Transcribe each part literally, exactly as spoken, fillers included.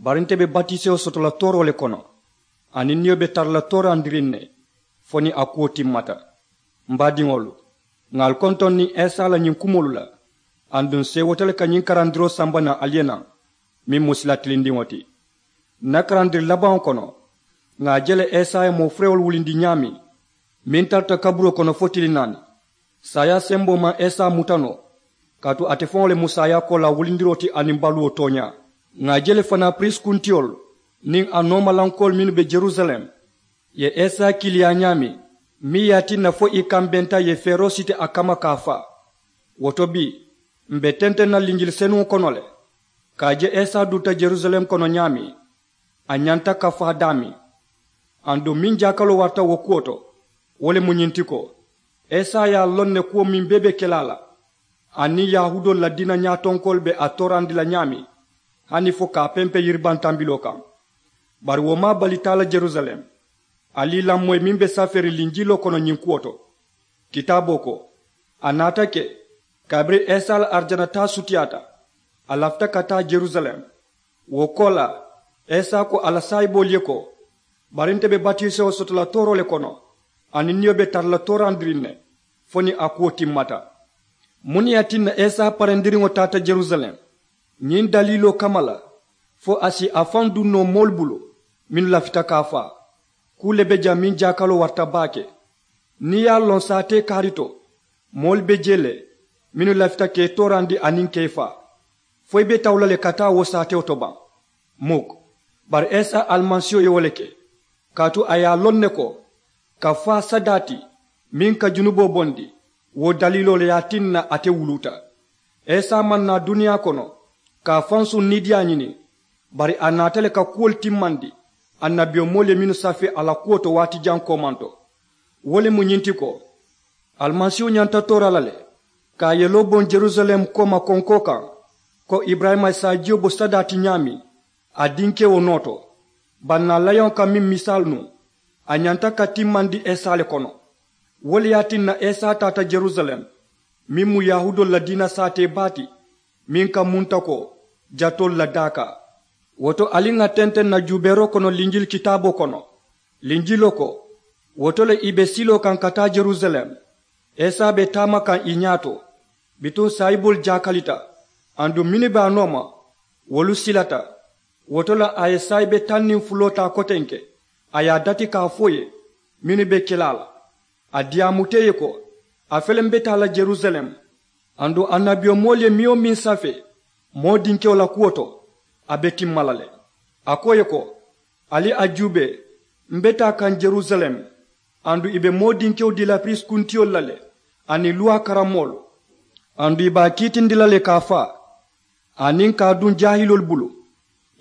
Bari nte be batisewo soto la tooroo le kono, aniŋ niyo be tara la toorandiriŋ ne fo niŋ a kuwo timmata. M baadiŋolu, ŋà ali kontoŋ niŋ esa la ñiŋ kumoolu la, aduŋ seewoota le ka ñiŋ karandiroo samba naŋ ali ye naŋ, meŋ mu sila tilindiŋo ti. N na karandiri labaŋo kono, ŋà a je le esa ye moo furewolu wulindi ñaameŋ, meŋ tarata kaburoo kono fo tili naani. Saayaa semboo maŋ esa muta noo, kaatu ate faŋo le mu saayaa koolaa wulindiroo ti aniŋ baluwo tooñaa. Ŋà a je le fanaa piriisi kuntiyolu niŋ a noomalankoolu mennu be jerusalem ye esa kiiliyaa ñaameŋ, meŋ ye a tinna fo ì kambenta ì ye feeroo siti a kamma ka a faa. Wo to bii, m̀ be tenteŋ na linjili senuŋo kono le, ka a je esa dunta jerusalem kono ñaameŋ, a ñanta ka faa daameŋ. Aduŋ meŋ jaakaloo warata wo kuwo to, wo le mu ñiŋ ti ko, esa ye a loŋ ne kuwo meŋ bee be ke la a la, aniŋ yahuudoolu la diina ñaatonkoolu be a toorandi la ñaameŋ, hani fo ka a pempe yiribantambiloo kaŋ. Bari wo maŋ a bali taa la jerusalem. Ali ì lamoyi meŋ be safeeriŋ linjiloo kono ñiŋ kuwo to. Kitaaboo ko, a naata ke, kabiriŋ esa la arijana taa sutiyaata, a lafita ka taa jerusalem. Wo koolaa, esa ko a la saayiboolu ye ko, bari nte be batisewo soto la tooroo le kono, aniŋ niyo be tara la toorandiriŋ ne fo niŋ a kuwo timmata. Muŋ ne ye a tinna esa parendiriŋo taata jerusalem? Ñiŋ daliiloo kamma la, fo a si a faŋ duŋ noo moolu bulu mennu lafita ka a faa. Kuu le be jaŋ meŋ jaakaloo warata baake. Niŋ ì ye a loŋ saatee kaari to, moolu be jee le mennu lafita ka ì toorandi aniŋ ka ì faa, fo ì be tawu la le ka taa wo saatewo to baŋ? Muk. Bari esa alimasiiho ye wo le ke, kaatu a ye a loŋ ne ko, ka faa sadaa ti meŋ ka junuboo bondi, wo daliiloo le ye a tinna ate wuluuta. Esa maŋ naa duniyaa kono ka a fansuŋ niidiyaa ñini, bari a naata le ka kuwolu timmandi annabiyomoolu ye mennu safee a la kuwo to waati jaŋ koomanto. Wo le mu ñiŋ ti ko, alimasiihu ñanta toora la le, ka a yeloo boŋ jerusalem kooma konkoo kaŋ, ko iburayima ye saajiyo bo sadaa ti ñaameŋ a dinkewo noo to. Bannaa layoŋo ka meŋ misaalu nuŋ, a ñanta ka timmandi esa le kono. Wo le ye a tinna esa taata jerusalem, meŋ mu yahuudoolu la diina saatee baa ti, meŋ ka munta ko jatoolu la daakaa. Wo to ali ŋà tenteŋ na juubeeroo kono linjili kitaaboo kono. Linjiloo ko, wo to le ì be siloo kaŋ ka taa jerusalem, esa be taama kaŋ ì ñaato. Bituŋ saayiboolu jaakalita, aduŋ mennu be a nooma, wolu silata. Wo to le a ye saayibe taŋ niŋ fuloo taa kotenke, a ye a dati ka a fo ì ye mennu be ke la a la. A diyaamuta ì ye ko, a fele m be taa la jerusalem, aduŋ annabiyomoolu ye meŋ-wo-meŋ safee moo dinkewo la kuwo to, a be timma la le. A ko ì ye ko, ali a juubee, m be taa kaŋ jerusalem, aduŋ ì be moo dinkewo dii la piriisi kuntiyolu la le, aniŋ luwaa karammoolu, aduŋ ì be a kiitindi la le ka a faa, aniŋ ka a duŋ jaahiloolu bulu.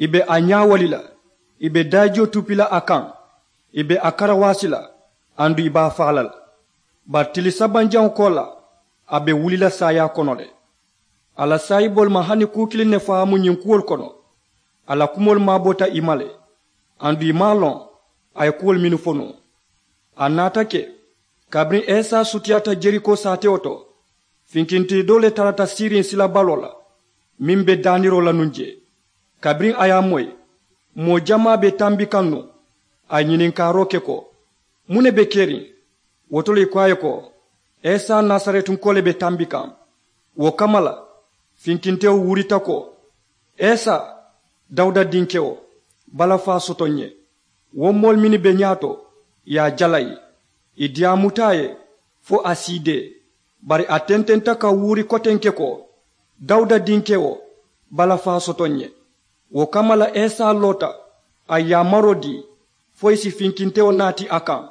Ì be a ñaawali la, ì be daajiyo tupi la a kaŋ, ì be a karawaasi la, aduŋ ì be a faa la le. Bari tili sabanjaŋo koolaa, a be wuli la saayaa kono le. A la saayiboolu maŋ hani kuu kiliŋ ne faamu ñiŋ kuwolu kono. A la kumoolu maaboota ì ma le, aduŋ ì maŋ a loŋ a ye kuwolu mennu fo nuŋ. A naata ke, kabiriŋ esa sutiyaata jeriko saatewo to, finkintee doo le tarata siiriŋ silabaloo la, meŋ be daaniroo la nuŋ jee. Kabiriŋ a ye a moyi, moo jamaa be tambi kaŋ nuŋ. A ye ñininkaaroo ke ko, muŋ ne be keriŋ? Wo to le ì ko a ye ko, esa nasaretunkoo le be tambi kaŋ. Wo kamma la, finkintewo wuurita ko, esa, dawuda dinkewo, balafaa soto ǹ ye. Wo moolu mennu be ñaato, ì ye a jalayi, ì diyaamuta a ye fo a siidee. Bari a tententa ka wuuri kotenke ko, dawuda dinkewo, balafaa soto ǹ ye. Wo kamma la esa loota, a ye yaamaroo dii fo ì si finkintewo naati a kaŋ.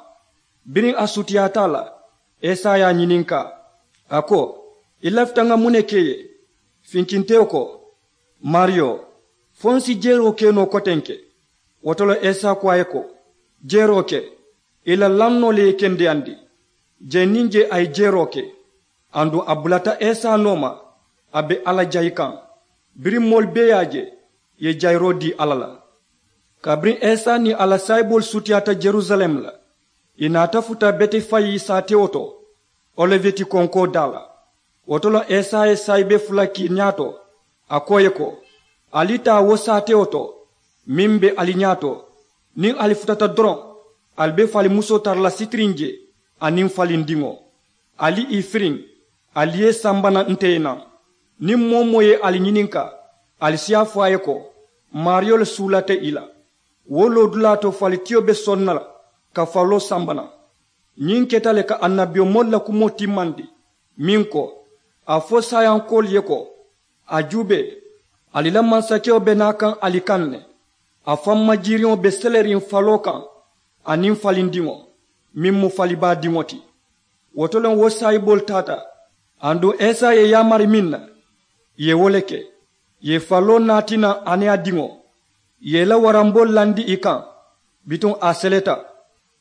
Biriŋ a sutiyaata a la, esa ye a ñininkaa, a ko, i lafita ŋa muŋ ne ke ì ye? Finkintewo ko, maariyo, fo n si jeroo ke noo kotenke? Wo to le esa ko a ye ko, jeroo ke. I la lannoo le ye i kendeyandi. Jee niŋ jee a ye jeroo ke. Aduŋ a bulata esa nooma, a be alla jayi kaŋ. Biriŋ moolu bee ye a je, ì ye jayiroo dii alla la. Kabiriŋ esa niŋ a la saayiboolu sutiyaata jerusalem la, ì naata futa betefayi saatewo to, oliveti konkoo daa la. Wo to le esa ye saayibe fula ke ñaato, a ko ì ye ko, ali taa wo saatewo to. meŋ be ali ñaato, niŋ ali futata doroŋ, ali be falimusoo tara la sitiriŋ je, aniŋ falindiŋo. Ali ì firiŋ, ali ye samba naŋ nte ye naŋ. Niŋ moo-wo-moo ye ali ñininkaa, ali si a fo a ye ko, maariyo le suulata ì la. Wo loodulaa to falitiyo be soŋ na la ka faloo samba naŋ. Ñiŋ keta le ka annabiyomoolu la kumoo timmandi, meŋ ko, a fo saayankoolu ye ko, a juubee, ali la mansakewo be naa kaŋ ali kaŋ ne. A fammajiiriŋo be seleriŋ faloo kaŋ, aniŋ falindiŋo, meŋ mu falibaa diŋo ti. Wo to le wo saayiboolu taata, aduŋ esa ye yaamari meŋ na, ì ye wo le ke. Ì ye faloo naati naŋ a niŋ a diŋo, ì ye ì la waramboolu landi ì kaŋ. Bituŋ a seleta.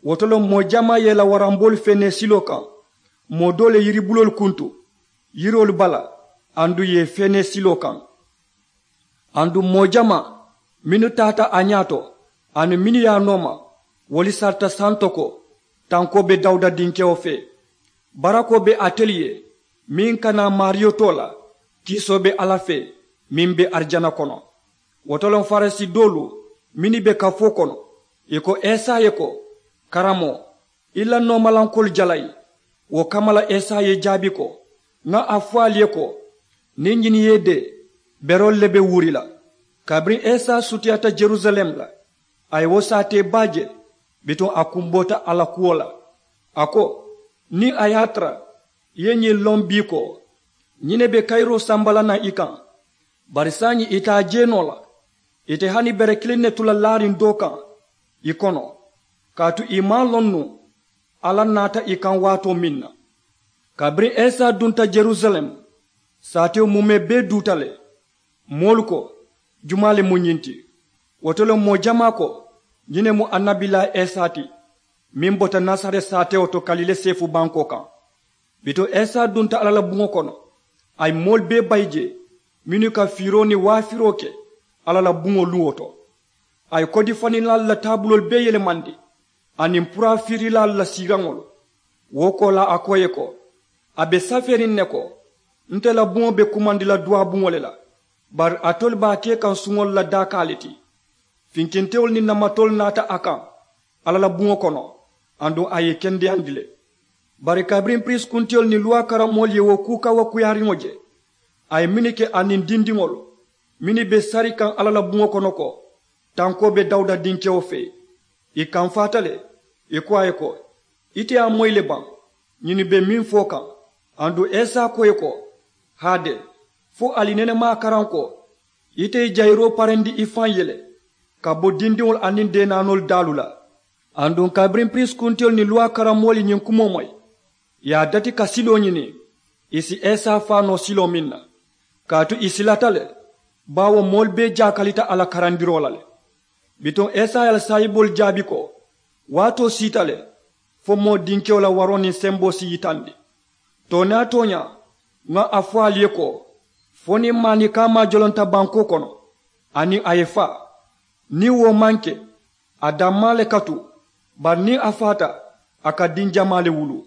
Wo to le moo jamaa ye ì la waramboolu feenee siloo kaŋ. Moo doo le yiribuloolu kuntu yiroolu bala, aduŋ ì ye ì feenee siloo kaŋ. Aduŋ moo jamaa mennu taata a ñaato, aniŋ mennu ye a nooma, wolu sarita santo ko, tankoo be dawuda dinkewo fee. Barakoo be atelu ye, meŋ ka naa maariyo too la. Kiisoo be alla fee, meŋ be arijana kono. Wo to le farisi doolu mennu be kafoo kono, ì ko esa ye ko, karamoo, i la noomalankoolu jalayi. Wo kamma la esa ye ì jaabi ko, ŋa a fo ali ye ko, niŋ ñiŋ ye ì dee, beroolu le be wuuri la. Kabiriŋ esa sutiyaata jerusalem la, a ye wo saatee baa je. Bituŋ a kumboota a la kuwo la. A ko, niŋ a ye a tara ì ye ñiŋ loŋ bii ko, ñiŋ ne be kayiroo samba la naŋ i kaŋ, bari saayiŋ ì te a je noo la. Ì te hani bere kiliŋ ne tu la laariŋ doo kaŋ ì kono, kaatu ì maŋ a loŋ nuŋ alla naata ì kaŋ waatoo meŋ na. Kabiriŋ esa dunta jerusalem, saatewo mumee bee duuta le. Moolu ko, jumaa le mu ñiŋ ti? Wo to le moo jamaa ko, ñiŋ ne mu annabilaa esa ti, meŋ bota nasareti saatewo to kalile seefu bankoo kaŋ. Bituŋ esa dunta alla la buŋo kono, a ye moolu bee bayi jee, mennu ka fiiroo niŋ waafiroo ke alla la buŋo luŋo to. A ye kodifaninlaalu la taabuloolu bee yelemandi, aniŋ puraafiirilaalu la siiraŋolu. Wo koolaa a ko ì ye ko, a be safeeriŋ ne ko, nte la buŋo be kumandi la duwaabuŋo le la. Bari alitolu be a ke kaŋ suŋolu la daakaa le ti. Finkintewolu niŋ namatoolu naata a kaŋ alla la buŋo kono, aduŋ a ye ì kendeyandi le. Bari kabiriŋ piriisi kuntiyolu niŋ luwaa karammoolu ye wo kuu kawakuyaariŋo je, a ye mennu ke aniŋ dindiŋolu mennu be sari kaŋ alla la buŋo kono ko, tankoo be dawuda dinkewo fee, ì kamfaata le. Ì ko a ye ko, ite ye a moyi le baŋ? Ñinnu be meŋ fo kaŋ. Aduŋ esa ko ì ye ko, haade, fo ali nene maŋ a karaŋ ko, ite ye jayiroo parendi i faŋ ye le ka bo dindiŋolu aniŋ deenaanoolu daalu la. Aduŋ kabiriŋ piriisi kuntiyolu niŋ luwaa karammoolu ye ñiŋ kumoo moyi, ì ye a dati ka siloo ñini, ì si esa faa noo siloo meŋ na. Kaatu ì silata le, baawo moolu bee jaakalita a la karandiroo la le. Bituŋ esa ye a la saayiboolu jaabi ko, waatoo siita le, fo moo dinkewo la waroo niŋ semboo si yitandi. Tooñaa tooñaa, ŋa a fo ali ye ko, fo niŋ maanikaa maajolonta bankoo kono, aniŋ a ye faa, niŋ wo maŋ ke, a dammaa le ka tu. Bari niŋ a faata, a ka diŋ jamaa le wuluu.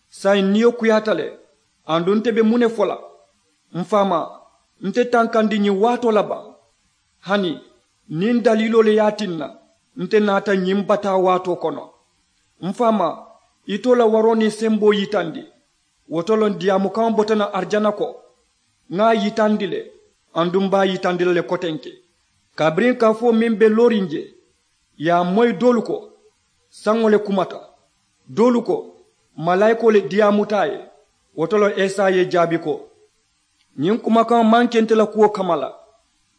Saayiŋ niyo kuyaata le. Aduŋ nte be muŋ ne fo la? M̀ faamaa, nte tankandi ñiŋ waatoo la baŋ? Hani niŋ daliiloo le ye a tinna nte naata ñiŋ bataa waatoo kono. M̀ faamaa, itoo la waroo niŋ semboo yitandi. Wo to loŋ diyaamukaŋo bota naŋ arijana ko, ŋa a yitandi le, aduŋ m̀ be a yitandi la le kotenke. Kabiriŋ kafoo meŋ be looriŋ je, ì ye a moyi doolu ko, saŋo le kumata. Doolu ko, malaayikoo le diyaamuta a ye. Wo to loŋ esa ye ì jaabi ko, ñiŋ kumakaŋo maŋ ke nte la kuwo kamma la,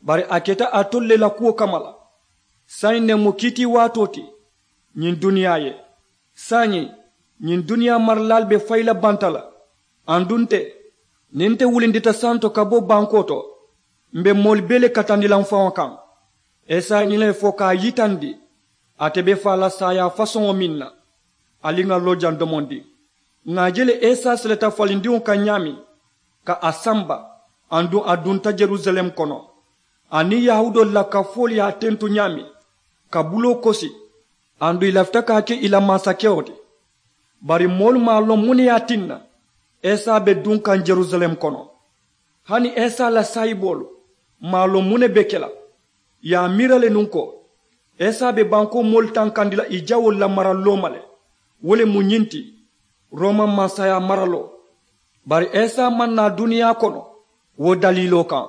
bari a keta alitolu le la kuwo kamma la. Saayiŋ ne mu kiitiiwaatoo ti ñiŋ duniyaa ye. Saayiŋ ñiŋ duniyaa maralaalu be fayi la banta la. Aduŋ nte, niŋ nte wulindita santo ka bo bankoo to, m̀ be moolu bee le katandi la m̀ faŋo kaŋ. Esa ye ñiŋ ne fo ka a yitandi, ate be faa la saayaa fasoŋo meŋ na. Ali ŋà loo jaŋ domondiŋ. Ŋà a je le esa seleta falindiŋo kaŋ ñaameŋ, ka a samba, aduŋ a dunta jerusalem kono. Aniŋ yahuudoolu la kafoolu ye a tentu ñaameŋ, ka buloo kosi, aduŋ ì lafita ka a ke ì la mansakewo ti. Bari moolu maŋ a loŋ muŋ ne ye a tinna esa be duŋ kaŋ jerusalem kono. Hani esa la saayiboolu maŋ a loŋ muŋ ne be ke la. Ì ye a miira le nuŋ ko, Esa be bankoo moolu tankandi la ì jawoolu la mara looma le. Wo le mu ñiŋ ti, rooma mansayaa maraloo. Bari esa maŋ naa duniyaa kono wo daliiloo kaŋ.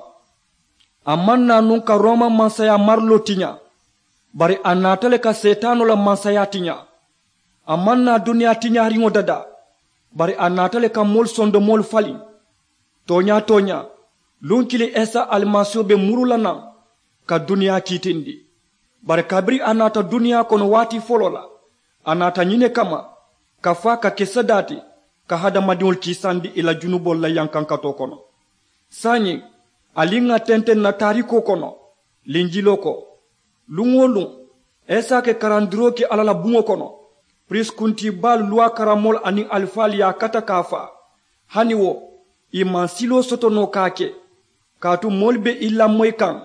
A maŋ naa nuŋ ka rooma mansayaa maraloo tiñaa. Bari a naata le ka seetaanoo la mansayaa tiñaa. A maŋ naa duniyaa tiñaariŋo dadaa. Bari a naata le ka moolu sondomoolu faliŋ. Tooñaa tooñaa, luŋ kiliŋ esa alimasiiho be muru la naŋ ka duniyaa kiitindi. Bari kabiriŋ a naata duniyaa kono waati foloo la, a naata ñiŋ ne kamma, ka faa ka ke sadaa ti, ka hadamadiŋolu kiisandi ì la junuboolu la yankankatoo kono. Saayiŋ, ali ŋà tenteŋ na taarikoo kono, linjiloo ko, luŋ-wo-luŋ, esa ke karandiroo ke alla la buŋo kono, piriisi kuntii baalu luwaa karamoolu aniŋ alifaalu ye a kata ka a faa. Hani wo, ì maŋ siloo soto noo ka a ke, kaatu moolu be ì lamoyi kaŋ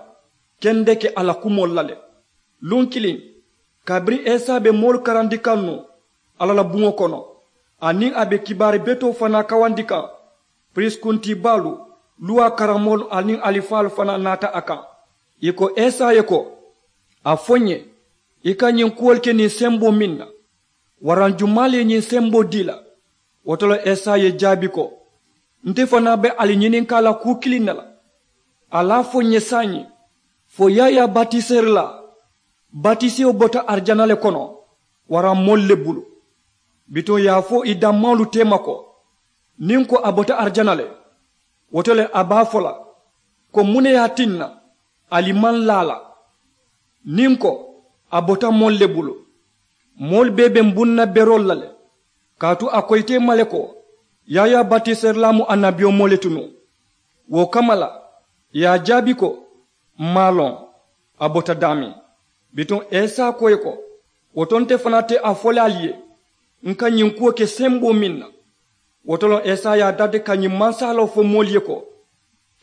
kendeke a la kumoolu la le. Luŋ kiliŋ, kabiriŋ esa be moolu karandi kaŋ nuŋ alla la buŋo kono, aniŋ a be kibaari betoo fanaa kawandi kaŋ, piriisi kuntii baalu, luwaa karamoolu aniŋ alifaalu fanaa naata a kaŋ. Ì ko esa ye ko, a fo ǹ ye, i ka ñiŋ kuwolu ke niŋ semboo meŋ na, waraŋ jumaa le ye ñiŋ semboo dii la? Wo to le esa ye jaabi ko, nte fanaa be ali ñininkaa la kuu kiliŋ ne la. Ali a fo ǹ ye saayiŋ, fo yaayaa batiseerilaa batisewo bota arijana le kono, waraŋ moolu le bulu? Bituŋ ì ye a fo ì dammaŋolu teema ko, niŋ ko a bota arijana le, wo to le a be a fo la ko, muŋ ne ye a tinna ali maŋ laa a la? Niŋ ko, a bota moolu le bulu, moolu bee be m̀ buŋ na beroolu la le. Kaatu a ko ite ma le ko, yaayaa batiseerilaa mu annabiyomoo le ti nuŋ. Wo kamma la, ì ye a jaabi ko, m̀ maŋ a loŋ a bota daameŋ. Bituŋ esa ko ì ye ko, wo to nte fanaa te a fo le ali ye, ǹ ka ñiŋ kuwo ke semboo meŋ na? Wo to loŋ esa ye a dati ka ñiŋ mansaaloo fo moolu ye ko,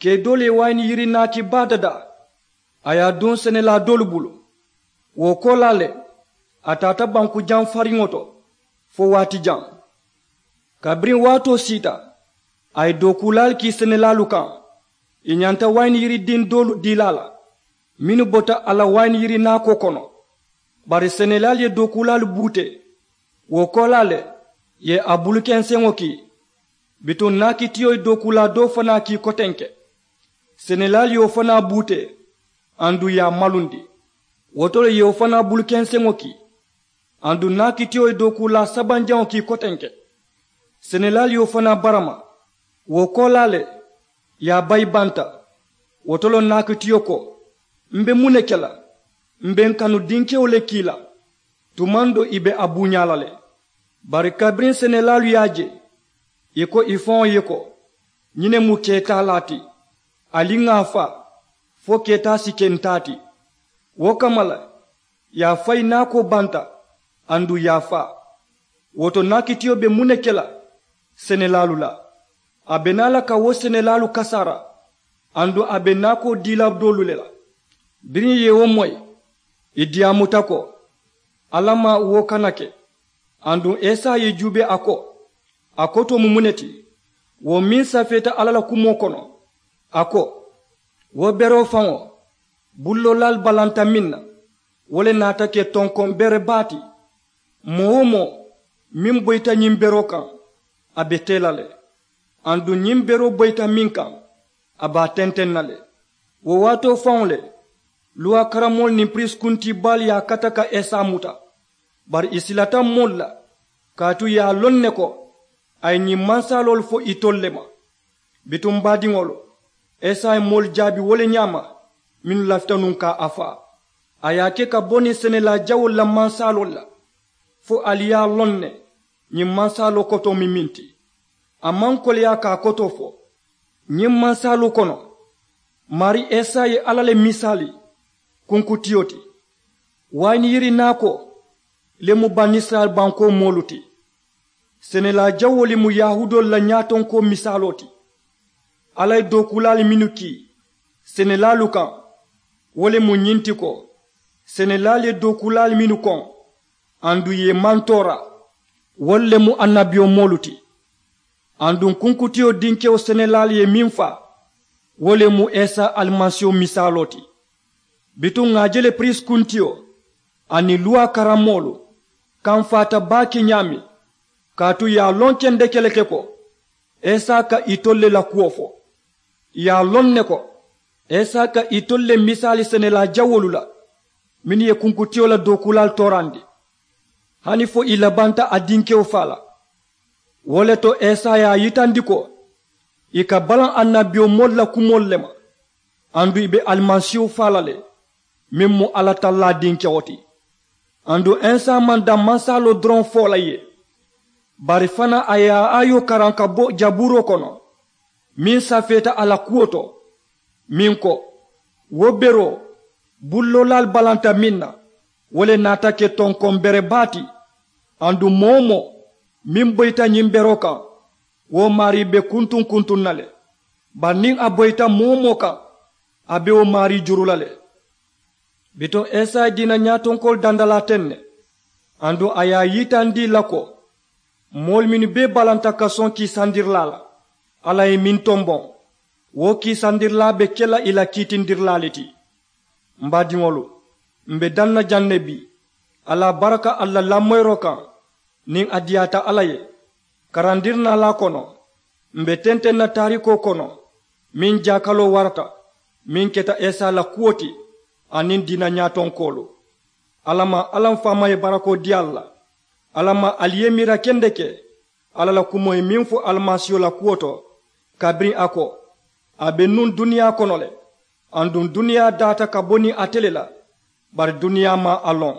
kee doolu ye wayini yiri naaki baa dadaa, a ye a duŋ senelaa doolu bulu. Wo koolaa le, a taata banku jaŋ fariŋo to fo waati jaŋ. Kabiriŋ waatoo siita, a ye dookuulaalu kii senelaalu kaŋ, ì ñanta wayini yiri diŋ doolu dii la a la, mennu bota a la wayini yiri naakoo kono. Bari senelaalu ye dookuulaalu buutee. Wo koolaa le, ì ye a bulukenseŋo kii. Bituŋ naakitiyo ye dookuulaa doo fanaa kii kotenke. Senelaalu ye wo fanaa buutee, aduŋ ì ye a malundi. Wo to le ì ye wo fanaa bulukenseŋo kii, aduŋ naakitiyo ye dookuulaa sabanjaŋo kii kotenke. Senelaalu ye wo fanaa barama. Wo koolaa le, ì ye a bayi banta. Wo to le naakitiyo ko, m̀ be muŋ ne ke la? M̀ be m̀ kanu dinkewo le kii la. Tumaŋ doo ì be a buuñaa la le. Bari kabiriŋ senelaalu ye a je, ì ko ì faŋo ye ko, ñiŋ ne mu keetaalaa ti. Ali ŋà a faa, fo keetaa si ke ǹ taa ti. Wo kamma la, ì ye a fayi naakoo banta, aduŋ ì ye a faa. Wo to naakitiyo be muŋ ne ke la senelaalu la? A be naa la ka wo senelaalu kasaara, aduŋ a be naakoo dii la doolu le la. Biriŋ ì ye wo moyi, ì diyaamuta ko, alla ma wo kana ke. Aduŋ esa ye ì juubee a ko, a kotoo mu muŋ ne ti, wo meŋ safeeta alla la kumoo kono? A ko, wo beroo faŋo, bulloolaalu balanta meŋ na, wo le naata ke tonkoŋ bere baa ti. Moo-wo-moo meŋ boyita ñiŋ beroo kaŋ, a be tee la le. Aduŋ ñiŋ beroo boyita meŋ kaŋ, a be a tenteŋ na le. Wo waatoo faŋo le, luwaa karamoolu niŋ piriisi kuntii baalu ye a kata ka esa muta. Bari ì silata moolu la, kaatu ì ye a loŋ ne ko, a ye ñiŋ mansaaloolu fo itolu le ma. Bituŋ baadiŋolu, esa ye moolu jaabi wo le ñaama, mennu lafita nuŋ ka a faa. A ye a ke ka bo niŋ senelaa jawoolu la mansaaloolu la, fo ali ye a loŋ ne, ñiŋ mansaaloo kotoo mu meŋ ti. A maŋ koleyaa ka a kotoo fo. Ñiŋ mansaaloo kono, maarii esa ye alla le misaali kunkutiyo ti. Wayini yiri naakoo le mu banisirayila bankoo moolu ti. Senelaa jawoo le mu yahuudoolu la ñaatonkoo misaaloo ti. Alla ye dookuulaalu mennu kii senelaalu kaŋ, wo le mu ñiŋ ti ko, senelaalu ye dookuulaalu mennu koŋ, aduŋ ì ye ì maŋ toora, wolu le mu annabiyomoolu ti. Aduŋ kunkutiyo dinkewo senelaalu ye meŋ faa, wo le mu esa alimasiiho misaaloo ti. Bituŋ ŋà a je le piriisi kuntiyo, aniŋ luwaa karammoolu kamfaata baake ñaameŋ. Kaatu ì ye a loŋ kendeke le ke ko isa ka itolu le la kuwo fo. Ì ye a loŋ ne ko isa ka itolu le misaali senelaa jawoolu la mennu ye kunkutiyo la dookuulaalu toorandi hani fo ì labanta a dinkewo faa la. Wo le to isa ye a yitandi ko ì ka balaŋ annabiyomoolu la kumoolu le ma aduŋ ì be alimasiihu faa la le meŋ mu alla tallaa dinkewo ti. Aduŋ isa maŋ daŋ mansaaloo doroŋ fo la ì ye bari fanaa a ye a aayoo karaŋ ka bo jabuuroo kono meŋ safeeta a la kuwo to. Meŋ ko wo beroo bulloolaalu balanta meŋ na wo le naata ke tonkoŋ bere baa ti. Aduŋ moo-wo-moo meŋ boyita ñiŋ beroo kaŋ wo maarii be kuntuŋ-kuntuŋ na le. Bari niŋ a boyita moo-wo-moo kaŋ a be wo maarii juru la le. Bituŋ isa ye diina ñaatonkoolu dandalaa teŋ ne aduŋ a ye a yitandi ì la ko moolu mennu bee balanta kasoŋ kiisandirilaa la alla ye meŋ tomboŋ wo kiisandirilaa be ke la ì la kiitindirilaa le ti. M baadiŋolu, m be daŋ na jaŋ ne bii. Alla baraka ali la lamoyiroo kaŋ niŋ a diyaata alla ye. Karandirinaalaa kono m be tenteŋ na taarikoo kono meŋ jaakaloo warata meŋ keta isa la kuwo ti aniŋ diina ñaatonkoolu. Alla maŋ alla m faama ye barakoo dii ali la. Alla maŋ ali ye miira kendeke alla la kumoo ye meŋ fo alimasiiho la kuwo to kabiriŋ a ko a be nuŋ duniyaa kono le. Aduŋ duniyaa daata ka bo niŋ ate le la bari duniyaa maŋ a loŋ.